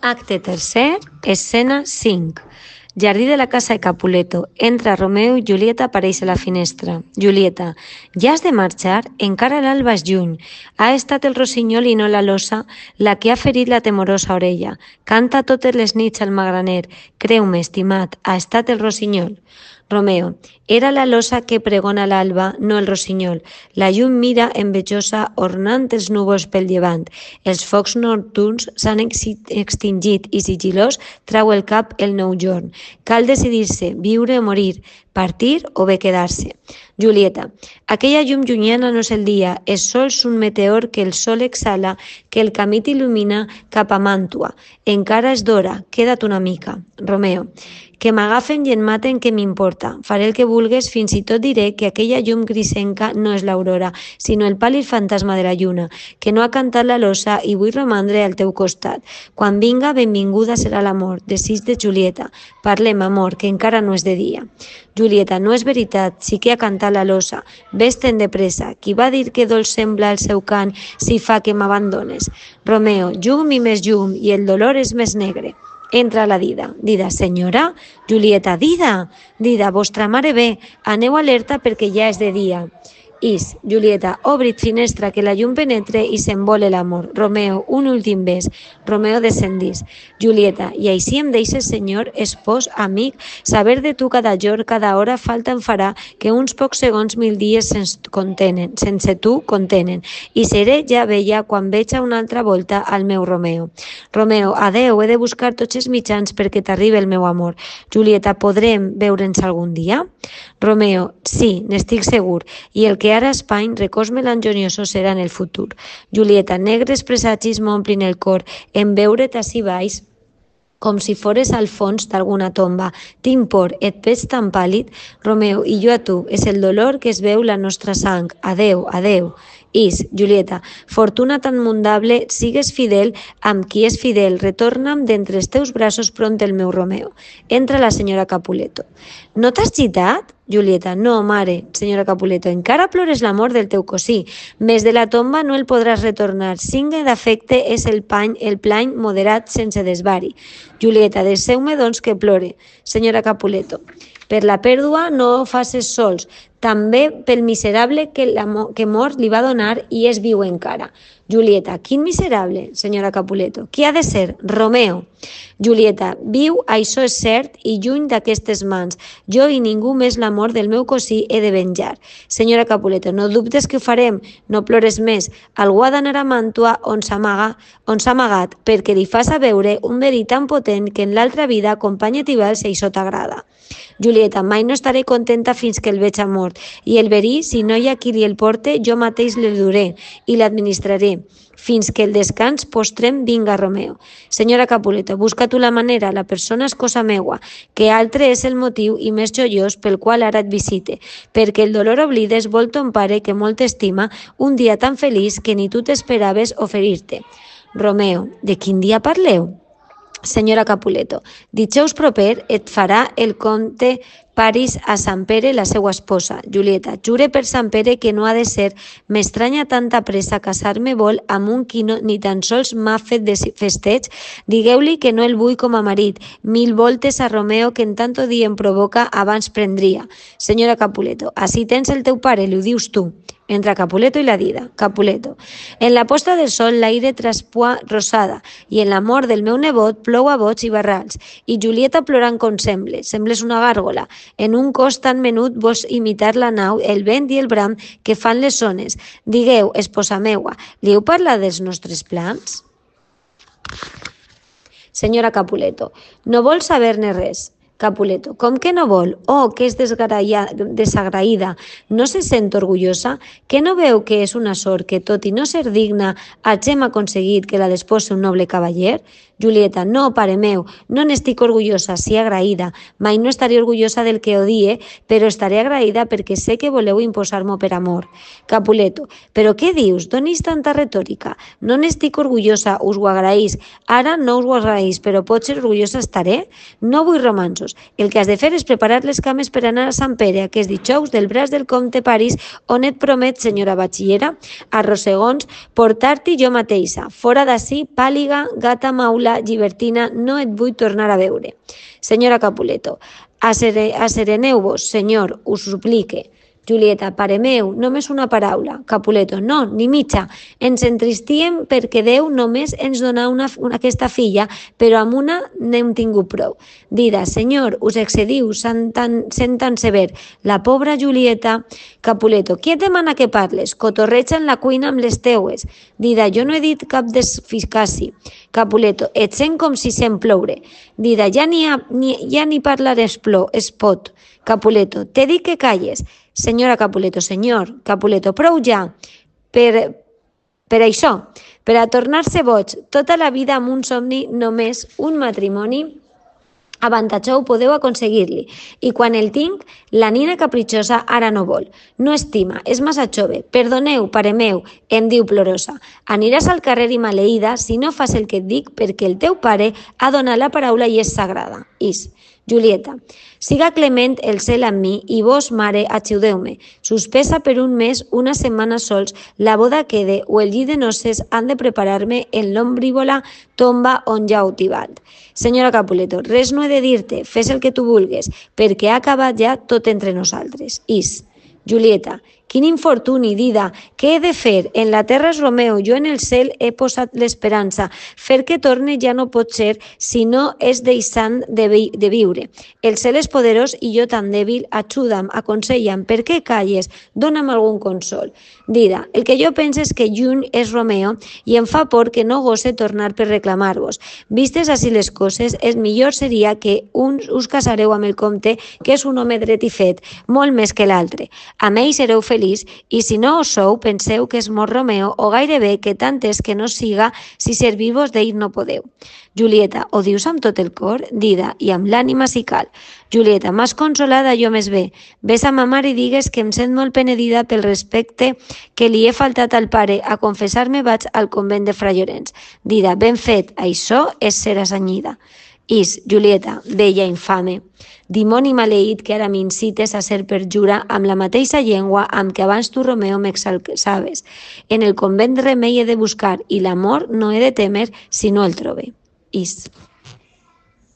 Acte tercer, escena 5. Jardí de la casa de Capuleto. Entra Romeo i Julieta apareix a la finestra. Julieta, ja has de marxar? Encara l'alba és lluny. Ha estat el rossinyol i no la losa la que ha ferit la temorosa orella. Canta totes les nits al magraner. Creu-me, estimat, ha estat el rossinyol. Romeo, era la losa que pregona l'alba, no el rossinyol. La llum mira envejosa ornant els núvols pel llevant. Els focs nocturns s'han extingit i sigilós trau el cap el nou jorn. Cal decidir-se, viure o morir, partir o bé quedar-se. Julieta, aquella llum llunyana no és el dia, és sols un meteor que el sol exhala, que el camí t'il·lumina cap a Màntua. Encara és d'hora, queda't una mica. Romeo, que m'agafen i em maten, què m'importa? Faré el que vulgues, fins i tot diré que aquella llum grisenca no és l'aurora, sinó el pàl·lid fantasma de la lluna, que no ha cantat la losa i vull romandre al teu costat. Quan vinga, benvinguda serà l'amor. Desig de Julieta. Parlem, amor, que encara no és de dia. Julieta, no és veritat, sí que ha cantat la losa. Ves-te'n de pressa. Qui va dir que dolç sembla el seu cant si fa que m'abandones? Romeo, llum i més llum, i el dolor és més negre. Entra la Dida. Dida, senyora? Julieta, Dida! Dida, vostra mare ve. Aneu alerta perquè ja és de dia. Is, Julieta, obrit finestra que la llum penetre i s'envole l'amor. Romeo, un últim bes. Romeo descendís. Julieta, i així em deixes, senyor, espòs, amic, saber de tu cada jorn, cada hora falta em farà que uns pocs segons 1000 dies sense tu contenen. I seré ja vella quan veig a una altra volta al meu Romeo. Romeo, adeu, he de buscar tots els mitjans perquè t'arribi el meu amor. Julieta, podrem veure'ns algun dia? Romeo, sí, n'estic segur, i el que ara espany, records melanjoniosos serà en el futur. Julieta, negres presagis m'omplin el cor, en veure't ací baix, com si fores al fons d'alguna tomba. Tinc por, et veig tan pàl·lid. Romeo, i jo a tu, és el dolor que es veu la nostra sang. Adeu, adeu. Is, Julieta, fortuna tan mundable, sigues fidel amb qui és fidel, retorna'm d'entre els teus braços pront el meu Romeo. Entra la senyora Capuleto. No t'has gitat? Julieta, no, mare. Senyora Capuleto, encara plores l'amor del teu cosí. Més de la tomba no el podràs retornar. Signe d'afecte és el plany moderat sense desvari. Julieta, deixeu-me doncs que plore. Senyora Capuleto, per la pèrdua no ho faces sols, també pel miserable que mort li va donar i és viu encara. Julieta, quin miserable, senyora Capuleto? Qui ha de ser? Romeo. Julieta, viu, això és cert, i lluny d'aquestes mans. Jo i ningú més l'amor del meu cosí he de venjar. Senyora Capuleto, no dubtes que ho farem, no plores més. Algú ha d'anar a Màntua on s'ha amagat, perquè li fas a veure un verí tan potent que en l'altra vida acompanya Tibel si això t'agrada. Julieta, mai no estaré contenta fins que el veig mort, i el verí, si no hi ha qui li el porte, jo mateix l'el duré i l'administraré, fins que el descans postrem vinga Romeo. Senyora Capuleto, busca tu la manera, la persona és cosa meua, que altre és el motiu i més joiós pel qual ara et visite, perquè el dolor oblides vol ton pare que molt estima un dia tan feliç que ni tu t'esperaves oferir-te. Romeo, de quin dia parleu? Senyora Capuleto, dijous proper et farà el comte Paris a Sant Pere la seva esposa. Julieta, jure per Sant Pere que no ha de ser. M'estranya tanta pressa, casar-me vol amb un qui no, ni tan sols m'ha fet de festeig. Digueu-li que no el vull com a marit. 1000 voltes a Romeo que en tanto dia em provoca abans prendria. Senyora Capuleto, ací tens el teu pare, li ho dius tu. Entra Capuleto i la Dida. Capuleto. En la posta del sol l'aire traspua rosada i en la mort del meu nebot plou a bots i barrals. I Julieta plorant com sembles una gàrgola. En un cos tan menut vols imitar la nau, el vent i el bram que fan les ones. Digueu, esposa meua, li heu parlat dels nostres plans? Senyora Capuleto, no vol saber-ne res. Capuleto, com que no vol? Oh, que és desagraïda. No se sent orgullosa? Que no veu que és una sort que, tot i no ser digna, hagem aconseguit que la despose un noble cavaller? Julieta, no, pare meu, no n'estic orgullosa, sí agraïda. Mai no estaré orgullosa del que odie, però estaré agraïda perquè sé que voleu imposar-m'ho per amor. Capuleto, però què dius? Donis tanta retòrica. No n'estic orgullosa, us ho agraïs. Ara no us ho agraïs, però potser orgullosa estaré? No vull romansos. passos. El que has de fer és preparar les cames per anar a Sant Pere aquest dijous del braç del comte París, on et promet, senyora batxillera, a rossegons, portar-t'hi jo mateixa. Fora d'ací, pàliga, gata maula, llibertina, no et vull tornar a veure. Senyora Capuleto, assereneu-vos, senyor, us suplique. Julieta, pare meu, només una paraula. Capuleto, no, ni mitja. Ens entristíem perquè Déu només ens donà aquesta filla, però amb una n'hem tingut prou. Dida, senyor, us excediu, sent tan sever. La pobra Julieta. Capuleto, qui et demana que parles? Cotorreja en la cuina amb les teues. Dida, jo no he dit cap desficaci. Capuleto, et sent com si sent ploure. Dida, ja ni parlar es pot. Capuleto, t'he dit que calles. Senyora Capuleto, senyor, Capuleto, prou ja. Per això, per a tornar-se boig, tota la vida amb un somni, només un matrimoni, avantatjou podeu aconseguir-li. I quan el tinc, la nina capritxosa ara no vol. No estima, és massa jove. Perdoneu, pare meu, em diu plorosa. Aniràs al carrer i maleïda si no fas el que et dic perquè el teu pare ha donat la paraula i és sagrada. Julieta, siga clement el cel amb mi i vos, mare, ajudeu-me. Suspesa per un mes, una setmana sols, la boda quede o el llit de noces han de preparar-me en l'ombrívola tomba on ja heu tibat. Senyora Capuleto, res no he de dir-te, fes el que tu vulgues, perquè ha acabat ja tot entre nosaltres. Julieta, quin infortuni, Dida, què he de fer? En la terra és Romeo, jo en el cel he posat l'esperança. Fer que torne ja no pot ser, si no és deixant de viure. El cel és poderós i jo tan dèbil, ajuda'm, aconsella'm, per què calles? Dóna'm algun consol. Dida, el que jo penso és que lluny és Romeo i em fa por que no gosse tornar per reclamar-vos. Vistes així les coses, el millor seria que us casareu amb el comte, que és un home dret i fet, molt més que l'altre. Amb ell sereu feliç i si no ho sou, penseu que és mort Romeo o gairebé que tant és que no siga si servir-vos d'ell no podeu. Julieta, ho dius amb tot el cor? Dida, i amb l'ànima si cal. Julieta, m'has consolada jo més bé. Ves a ma mare i digues que em sent molt penedida pel respecte que li he faltat al pare. A confessar-me vaig al convent de Fra Llorenç. Dida, ben fet, això és ser assenyida. Julieta, vella infame, dimoni maleït que ara m'incites a ser perjura amb la mateixa llengua amb què abans tu, Romeo, m'exalçaves. En el convent remei he de buscar i l'amor no he de temer si no el trobe.